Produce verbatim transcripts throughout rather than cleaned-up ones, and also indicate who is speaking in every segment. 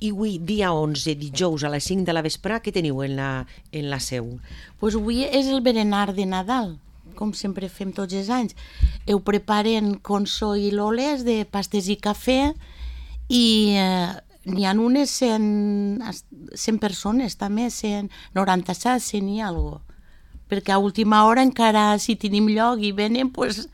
Speaker 1: I avui, dia onze, dijous a les cinc de la vespre, què teniu en la, en la seu?
Speaker 2: Pues avui és el berenar de Nadal, com sempre fem tots els anys. Ho preparen Conso i Loles de pastes i cafè i eh, n'hi ha unes cent, cent persones també, cent noranta-set, cent i alguna cosa. Perquè a última hora encara si tenim lloc i venen, pues,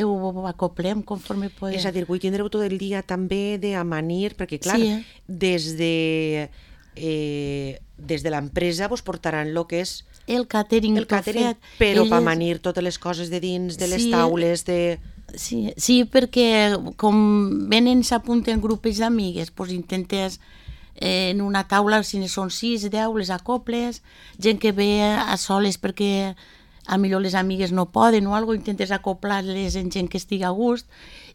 Speaker 2: ho acoplem conforme podem.
Speaker 1: És a dir, avui tindreu tot el dia també d'amanir, perquè clar,
Speaker 2: Sí.
Speaker 1: des de, eh, des de l'empresa vos portaran el que és
Speaker 2: El catering,
Speaker 1: el catering,
Speaker 2: fet.
Speaker 1: però
Speaker 2: Elles-
Speaker 1: per amanir totes les coses de dins, de les
Speaker 2: Sí.
Speaker 1: taules, de...
Speaker 2: Sí, sí, perquè com venen, s'apunten grups d'amigues, doncs intentes eh, en una taula, si ne són sis, deu, les acoples, gent que ve a soles perquè a millor les amigues no poden o alguna cosa, intentes acoplar-les en gent que estigui a gust,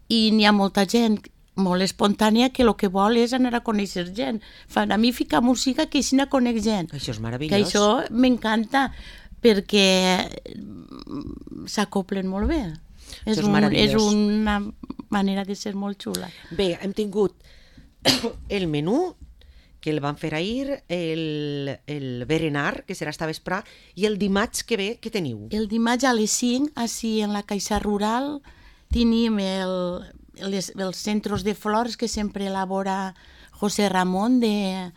Speaker 2: i n'hi ha molta gent molt espontània que el que vol és anar a conèixer gent. Fan, a mi ficar música que així no conec gent.
Speaker 1: Això és
Speaker 2: Que
Speaker 1: meravellós.
Speaker 2: això m'encanta perquè s'acoplen molt bé. És,
Speaker 1: Això és
Speaker 2: un, és
Speaker 1: meravellós.
Speaker 2: una manera de ser molt xula.
Speaker 1: Bé, hem tingut el menú, que el van fer ahir, el, el berenar, que serà esta vespre, i el dimarts que ve, què teniu?
Speaker 2: El dimarts a les cinc, així en la Caixa Rural, tenim el, les, els centres de flors que sempre elabora José Ramon de,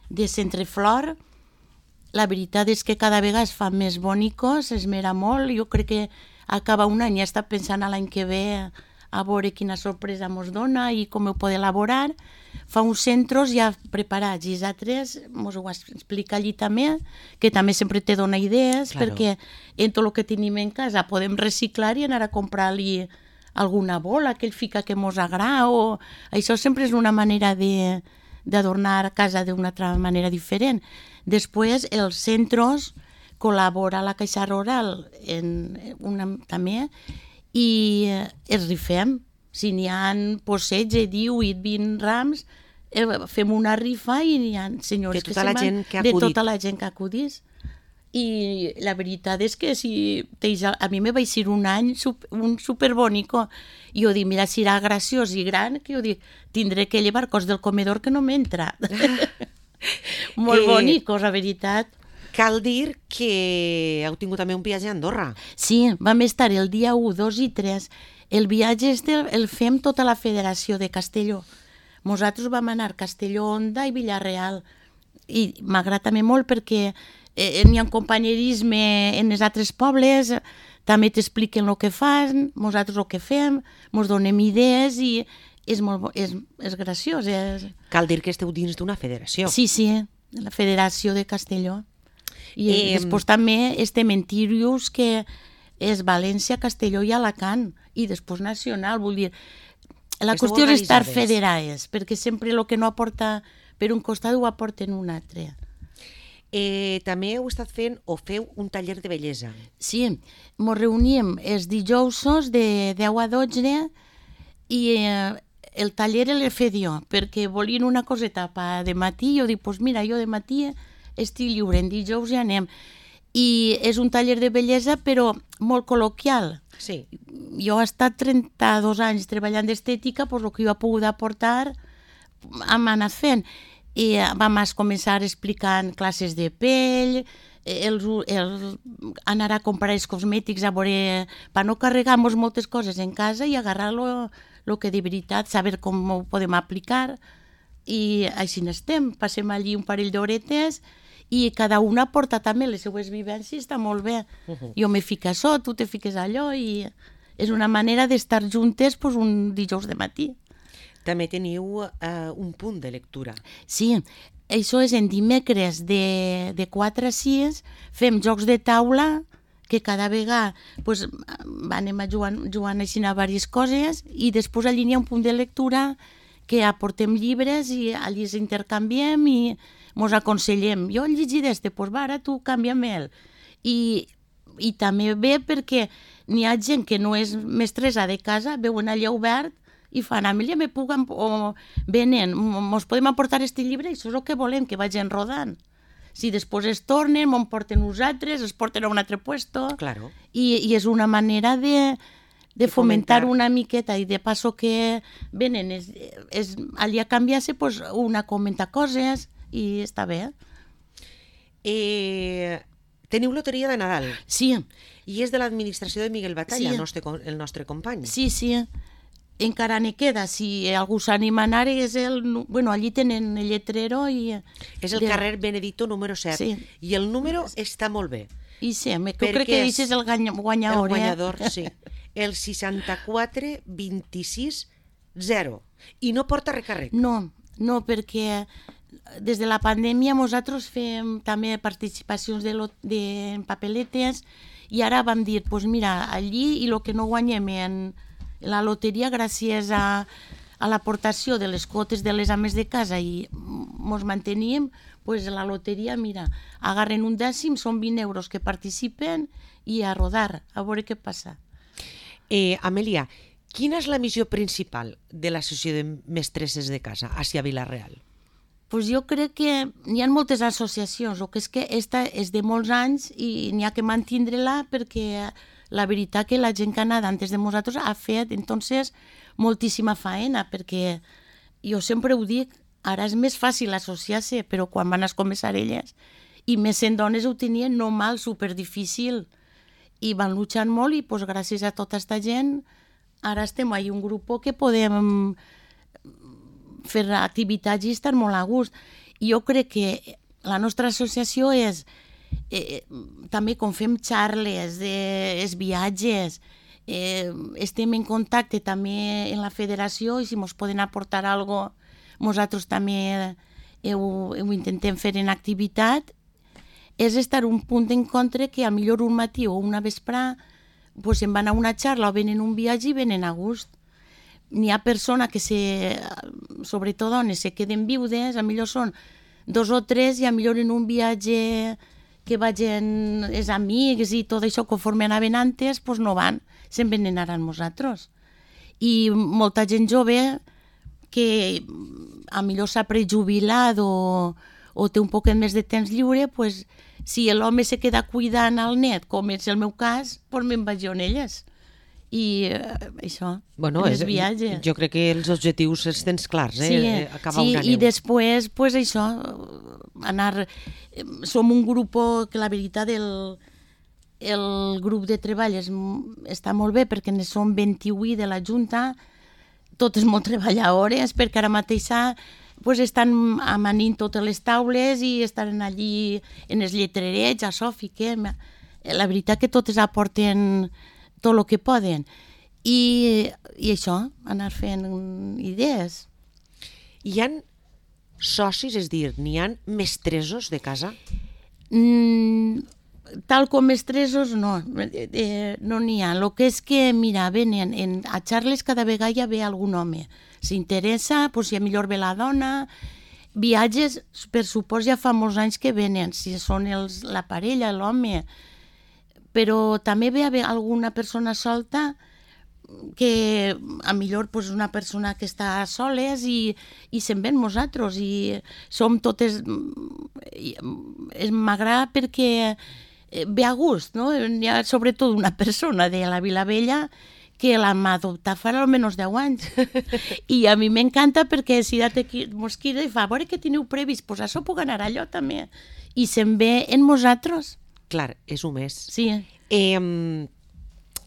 Speaker 2: de Centre Flor. La veritat és que cada vegada es fan més bonicos, es mira molt. Jo crec que acaba un any, ja està pensant a l'any que ve a veure quina sorpresa mos dona i com ho pot elaborar. Fa uns centres ja preparats i els altres mos ho explica allí també, que també sempre te dona idees,
Speaker 1: Claro.
Speaker 2: perquè en tot el que tenim en casa podem reciclar i anar a comprar-li alguna bola que ell fica que mos agrada, o això sempre és una manera de d'adornar casa d'una altra manera diferent. Després, els centres col·labora la Caixa Rural en una, també, i eh, els rifem. Si n'hi ha setze, divuit, vint rams, eh, fem una rifa i n'hi ha senyors
Speaker 1: De tota
Speaker 2: que
Speaker 1: la
Speaker 2: se'n van,
Speaker 1: gent que ha
Speaker 2: de
Speaker 1: acudit.
Speaker 2: tota la gent que acudís. I la veritat és que si tens, a mi me va ser un any super, un superbonico, i jo dic, mira, si era graciós i gran, que jo dic, tindré que llevar cos del comedor que no m'entra. Molt
Speaker 1: Eh,
Speaker 2: bonicos, la veritat.
Speaker 1: Cal dir que heu tingut també un viatge a Andorra.
Speaker 2: Sí, vam estar el dia u, dos i tres. El viatge este el fem tota la Federació de Castelló. Nosaltres vam anar a Castelló, Onda i Villarreal. I m'agrada també molt perquè eh, n'hi ha un companyerisme en els altres pobles, també t'expliquen el que fan, nosaltres el que fem, ens donem idees i és, molt, bo- és, és graciós. És...
Speaker 1: Cal dir que esteu dins d'una federació.
Speaker 2: Sí, sí, la Federació de Castelló. I
Speaker 1: Eh,
Speaker 2: eh, després també estem en Tírius, que és València, Castelló i Alacant, i després nacional, vull dir, la
Speaker 1: Esteu
Speaker 2: qüestió és estar
Speaker 1: organitzades.
Speaker 2: federades, perquè sempre el que no aporta per un costat ho aporta en un altre.
Speaker 1: Eh, també heu estat fent o feu un taller de bellesa.
Speaker 2: Sí, ens reuníem els dijousos de deu a dotze i eh, el taller el he jo, perquè volien una coseta pa de matí, i jo dic, pues mira, jo de matí estic lliure, en dijous ja anem. I és un taller de bellesa, però molt col·loquial.
Speaker 1: Sí.
Speaker 2: Jo he estat trenta-dos anys treballant d'estètica, doncs el que jo he pogut aportar hem anat fent. I vam començar explicant classes de pell, el, el, anar a comprar els cosmètics a veure, per no carregar-nos moltes coses en casa i agarrar-lo el que de veritat, saber com ho podem aplicar. I així n'estem, passem allí un parell d'horetes i cada una aporta també les seues vivències, està molt bé. Uh-huh. Jo me fico a això, tu te fiques a allò, i és una manera d'estar juntes pues, un dijous de matí.
Speaker 1: També teniu eh, un punt de lectura.
Speaker 2: Sí, això és en dimecres de, de quatre a sis, fem jocs de taula, que cada vegada pues, anem a jugant, jugant així a diverses coses, i després allí hi ha un punt de lectura que aportem llibres i allí ens intercanviem i ens aconsellem. Jo he llegit este, doncs va, ara tu canvia-me'l. I, I també bé perquè n'hi ha gent que no és mestressa de casa, veuen allà obert i fan, Amèlia, me puc, o venen, mos podem aportar este llibre, i això és el que volem, que vagin rodant. Si després es tornen, m'en porten nosaltres, es porten a un altre puesto.
Speaker 1: Claro.
Speaker 2: I, i és una manera de, de fomentar una miqueta i de passo que venen és, és, allà a canviar-se, pues, una comenta coses i està bé.
Speaker 1: Eh, teniu loteria de Nadal.
Speaker 2: Sí.
Speaker 1: I és de l'administració de Miguel Batalla,
Speaker 2: Sí.
Speaker 1: el, nostre, el nostre company.
Speaker 2: Sí, sí. Encara n'hi queda. Si algú s'anima a anar, és el... Bueno, allí tenen el lletrero i...
Speaker 1: És el
Speaker 2: de...
Speaker 1: carrer Benedito número set.
Speaker 2: Sí.
Speaker 1: I el número està molt bé.
Speaker 2: I sí, jo
Speaker 1: Perquè
Speaker 2: crec que
Speaker 1: és
Speaker 2: és el guanya- guanyador.
Speaker 1: El guanyador,
Speaker 2: eh?
Speaker 1: sí. El seixanta-quatre vint-i-sis zero. I no porta recarrec.
Speaker 2: No, no, perquè des de la pandèmia nosaltres fem també participacions de, lo, de en papeletes i ara vam dir, pues mira, allí i el que no guanyem en la loteria gràcies a, a l'aportació de les quotes de les ames de casa i ens mantenim, pues la loteria, mira, agarren un dècim, són vint euros que participen i a rodar, a veure què passa.
Speaker 1: Eh, Amèlia, quina és la missió principal de l'Associació de Mestresses de Casa hacia Vila-real?
Speaker 2: Pues jo crec que n'hi ha moltes associacions, el que és que esta és de molts anys i n'hi ha que mantindre-la perquè la veritat que la gent que ha anat antes de nosaltres ha fet entonces moltíssima faena, perquè jo sempre ho dic, ara és més fàcil associar-se, però quan van a començar elles, i més sent dones ho tenien no mal, superdifícil, i van luchant molt i pues, gràcies a tota aquesta gent ara estem ahí un grup que podem fer activitats i estar molt a gust. I jo crec que la nostra associació és, eh, també com fem xarles, de, els viatges, eh, estem en contacte també en la federació i si ens poden aportar alguna cosa, nosaltres també ho, ho intentem fer en activitat, és estar un punt en contra que a millor un matí o una vesprà pues, se'n van a una xarra o venen un viatge i venen a gust. N'hi ha persones que, se, sobretot dones, se queden viudes, a millor són dos o tres i a millor en un viatge que vagin els amics i tot això conforme anaven antes, pues no van, se'n venen ara amb nosaltres. I molta gent jove que a millor s'ha prejubilat o, o té un poquet més de temps lliure, pues, si l'home se queda cuidant al net, com és el meu cas, pues me'n vaig jo en elles. I eh, això,
Speaker 1: bueno,
Speaker 2: en els
Speaker 1: és,
Speaker 2: viatges.
Speaker 1: Jo crec que els objectius els tens clars, eh?
Speaker 2: Sí,
Speaker 1: Acabar
Speaker 2: sí
Speaker 1: una
Speaker 2: i
Speaker 1: neu.
Speaker 2: després, pues això, anar... Som un grup que la veritat el, el grup de treball és, està molt bé perquè ne som vint-i-vuit de la Junta, totes molt treballadores, perquè ara mateixa pues, estan amanint totes les taules i estan allí en els lletrerets, això fiquem. La veritat que totes aporten tot el que poden. I, i això, anar fent idees.
Speaker 1: Hi han socis, és dir, n'hi han mestresos de casa?
Speaker 2: Mm, tal com mestresos, no, eh, no n'hi ha. El que és que, mira, venen en, a xarles cada vegada ja ve algun home. S'interessa, pues, si a millor ve la dona. Viatges, per supòs, ja fa molts anys que venen, si són els, la parella, l'home. Però també ve a haver alguna persona solta que a millor pues, una persona que està soles i, i se'n ven nosaltres i som totes... M'agrada perquè ve a gust, no? Hi ha sobretot una persona de la Vilavella que la m'ha adoptat fa almenys deu anys. I a mi m'encanta perquè si ja mos queda i fa, a veure què teniu previst, doncs això puc anar allò també. I se'n ve en nosaltres.
Speaker 1: Clar, és un mes.
Speaker 2: Sí.
Speaker 1: Eh,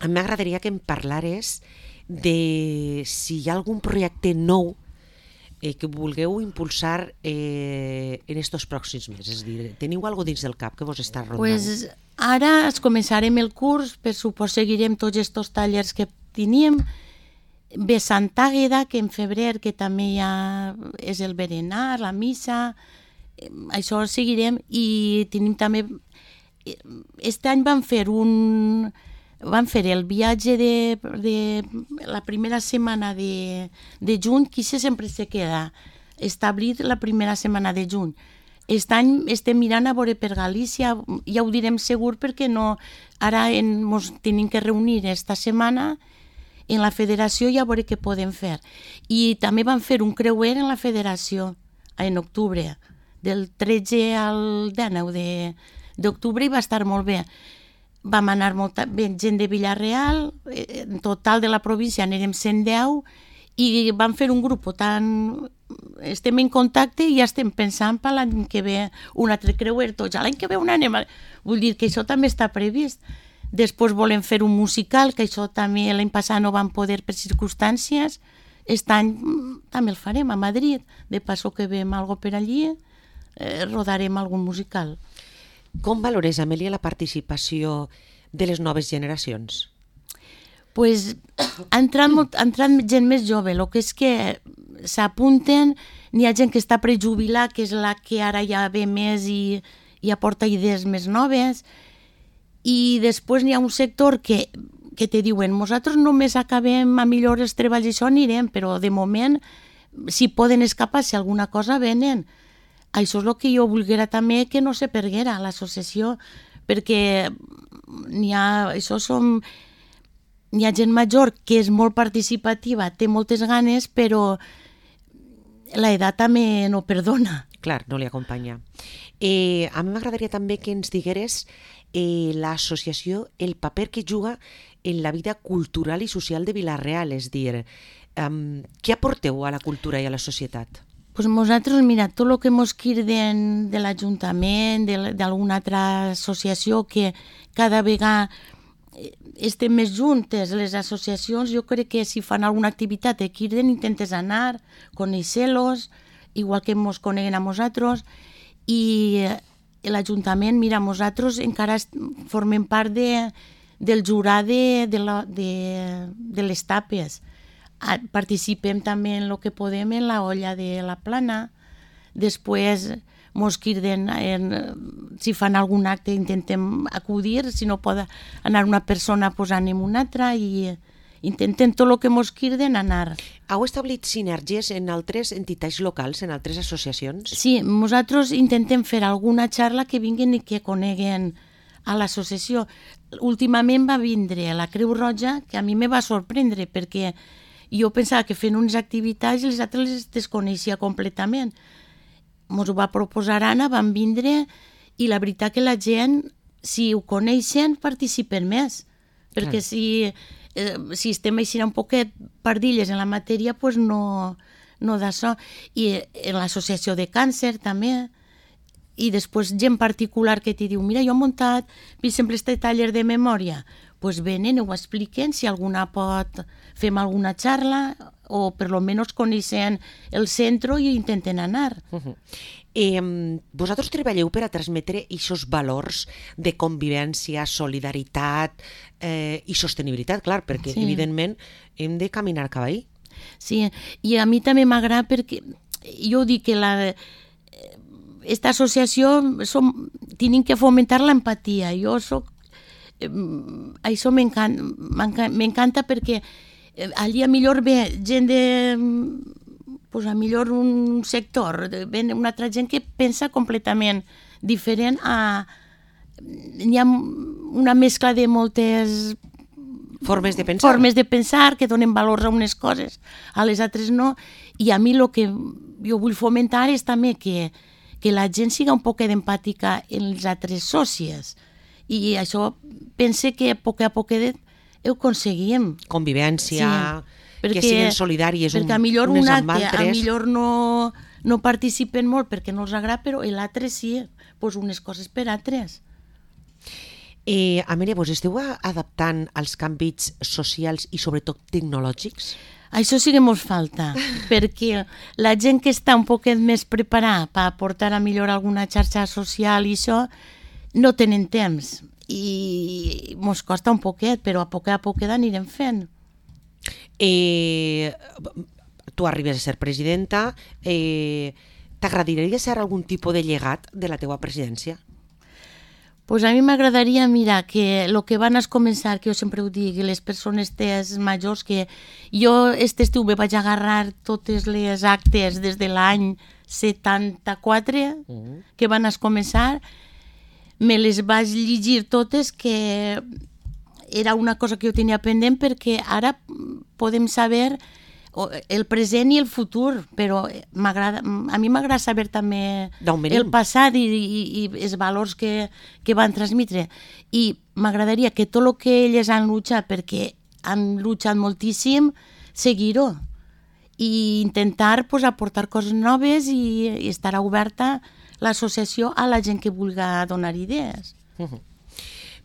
Speaker 1: M'agradaria que em parlares de si hi ha algun projecte nou eh, que vulgueu impulsar eh, en estos pròxims mesos. És a dir, teniu alguna dins del cap que vos està rondant?
Speaker 2: Pues ara es començarem el curs, per supòs seguirem tots aquests tallers que teníem. Ve Sant Àgueda, que en febrer, que també ja és el berenar, la missa, això seguirem. I tenim també... Este any vam fer un... Vam fer el viatge de, de la primera setmana de, de juny, que sempre se queda establit la primera setmana de juny. Aquest any estem mirant a veure per Galícia, ja ho direm segur perquè no, ara ens tenim que reunir esta setmana en la federació i a veure què podem fer. I també vam fer un creuer en la federació en octubre, del tretze al dinou d'octubre i va estar molt bé. vam anar molta gent de Villarreal, en total de la província n'érem cent deu, i vam fer un grup tan... Estem en contacte i ja estem pensant per l'any que ve un altre creuer, tots, l'any que ve un anem... Vull dir que això també està previst. Després volem fer un musical, que això també l'any passat no vam poder per circumstàncies. Aquest any també el farem a Madrid. De passo que veiem alguna cosa per allí, eh, rodarem algun musical.
Speaker 1: Com valores, Amèlia, la participació de les noves generacions?
Speaker 2: Pues, ha entrat, molt, ha entrat gent més jove, el que és que s'apunten, n'hi ha gent que està prejubilat, que és la que ara ja ve més i, i aporta idees més noves, i després n'hi ha un sector que, que te diuen, nosaltres només acabem a millor els treballs i això anirem, però de moment, si poden escapar, si alguna cosa venen. Això és el que jo volguera també que no se perguera l'associació, perquè n'hi ha, això som, n'hi ha gent major que és molt participativa, té moltes ganes, però l'edat també no perdona.
Speaker 1: Clar, no li acompanya. Eh, a mi m'agradaria també que ens digueres eh, l'associació, el paper que juga en la vida cultural i social de Vila-real, és dir, eh, què aporteu a la cultura i a la societat?
Speaker 2: Pues nosaltres, mira, tot el que mos quirden de l'Ajuntament, d'alguna altra associació que cada vegada estem més juntes, les associacions, jo crec que si fan alguna activitat de quirden intentes anar, conèixer-los, igual que mos coneguen a nosaltres, i l'Ajuntament, mira, nosaltres encara formem part de, del jurat de, de, la, de, de les tapes. Participem també en el que podem en la olla de la plana. Després mos quirden, en, si fan algun acte intentem acudir, si no pot anar una persona pues anem una altra i intentem tot el que mos quirden anar.
Speaker 1: Heu establit sinergies en altres entitats locals, en altres associacions?
Speaker 2: Sí, nosaltres intentem fer alguna xarra que vinguin i que coneguen a l'associació. Últimament va vindre la Creu Roja, que a mi me va sorprendre perquè jo pensava que fent unes activitats i les altres les desconeixia completament. Ens ho va proposar Anna, van vindre i la veritat que la gent, si ho coneixen, participen més. Perquè si, eh, si estem així un poquet pardilles en la matèria, pues no, no d'això. I en l'associació de càncer també. I després gent particular que t'hi diu, mira, jo he muntat, per exemple, este taller de memòria. Pues venen, ho expliquen, si alguna pot, fem alguna xarra o per lo menos coneixen el centre i intenten anar.
Speaker 1: Uh-huh. eh, vosaltres treballeu per a transmetre aquests valors de convivència, solidaritat eh, i sostenibilitat, clar, perquè sí, evidentment hem de caminar cap ahí.
Speaker 2: Sí, i a mi també m'agrada perquè jo dic que la... esta associació som, tenim que fomentar l'empatia. Jo soc això m'encanta, m'encanta perquè allí a millor ve gent de, pues a millor un sector, ve una altra gent que pensa completament diferent a... Hi ha una mescla de moltes
Speaker 1: formes de pensar,
Speaker 2: formes de pensar que donen valor a unes coses, a les altres no, i a mi el que jo vull fomentar és també que, que la gent siga un poc empàtica en les altres sòcies. I això pense que a poc a poc ho aconseguim.
Speaker 1: Convivència, sí, perquè, que siguin solidàries un,
Speaker 2: perquè a millor
Speaker 1: unes
Speaker 2: un
Speaker 1: amb
Speaker 2: acte,
Speaker 1: altres.
Speaker 2: A millor no, no participen molt perquè no els agrada, però l'altre sí, pues unes coses per altres.
Speaker 1: Eh, Amèlia, vos esteu adaptant als canvis socials i sobretot tecnològics?
Speaker 2: Això sí que mos falta, perquè la gent que està un poquet més preparada per aportar a millor alguna xarxa social i això, no tenen temps i mos costa un poquet, però a poc a poc anirem fent.
Speaker 1: Eh, tu arribes a ser presidenta, eh, t'agradaria ser algun tipus de llegat de la teua presidència?
Speaker 2: Pues a mi m'agradaria, mira, que el que van a començar, que jo sempre ho dic, les persones tes majors, que jo este estiu me vaig agarrar totes les actes des de l'any setanta-quatre, uh-huh. que van a començar, me les vaig llegir totes, que era una cosa que jo tenia pendent perquè ara podem saber el present i el futur, però m'agrada, a mi m'agrada saber també
Speaker 1: D'on venim.
Speaker 2: el passat i, i, i els valors que, que van transmetre. I m'agradaria que tot el que elles han luchat, perquè han luchat moltíssim, seguir-ho i intentar pues, aportar coses noves i, i estarà oberta l'associació a la gent que vulgui donar idees.
Speaker 1: Uh-huh.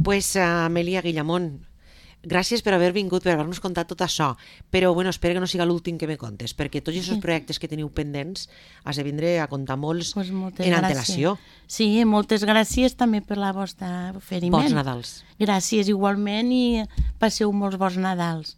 Speaker 1: Pues, uh, Amèlia Guillamón, gràcies per haver vingut, per haver-nos contat tot això, però bueno, espero que no siga l'últim que me contes, perquè tots aquests projectes que teniu pendents has de vindre a contar molts
Speaker 2: pues
Speaker 1: en antelació.
Speaker 2: Sí, moltes gràcies també per la vostra oferiment.
Speaker 1: Bons Nadals.
Speaker 2: Gràcies igualment i passeu molts bons Nadals.